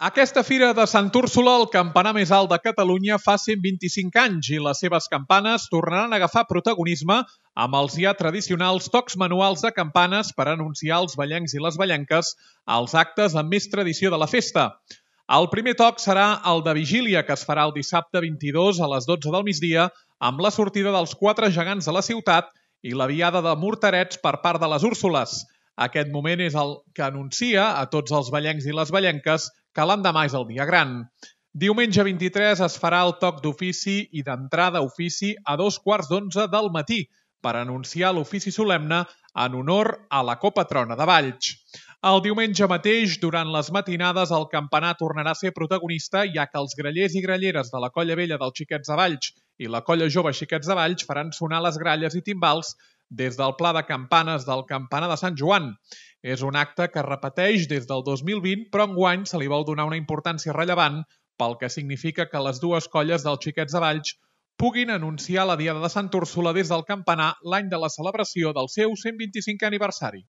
Aquesta fira de Sant Úrsula, el campanar més alt de Catalunya, fa 125 anys i les seves campanes tornaran a agafar protagonisme amb els ja tradicionals tocs manuals de campanes per anunciar els ballencs i les ballenques als actes amb més tradició de la festa. El primer toc serà el de vigília, que es farà el dissabte 22 a les 12 del migdia amb la sortida dels 4 gegants de la ciutat i la viada de morterets per part de les Úrsules. Aquest moment és el que anuncia a tots els ballencs i les ballenques que l'endemà és el dia gran. Diumenge 23 es farà el toc d'ofici i d'entrada a ofici a 2:15 del matí per anunciar l'ofici solemne en honor a la copatrona de Valls. El diumenge mateix, durant les matinades, el campanar tornarà a ser protagonista, ja que els grallers i gralleres de la Colla Vella dels Xiquets de Valls i la Colla Jove Xiquets de Valls faran sonar les gralles i timbals des del pla de campanes del campanar de Sant Joan. És un acte que es repeteix des del 2020, però enguany se li vol donar una importància rellevant pel que significa que les dues colles dels Xiquets de Valls puguin anunciar la Diada de Sant Úrsula des del campanar l'any de la celebració del seu 125è aniversari.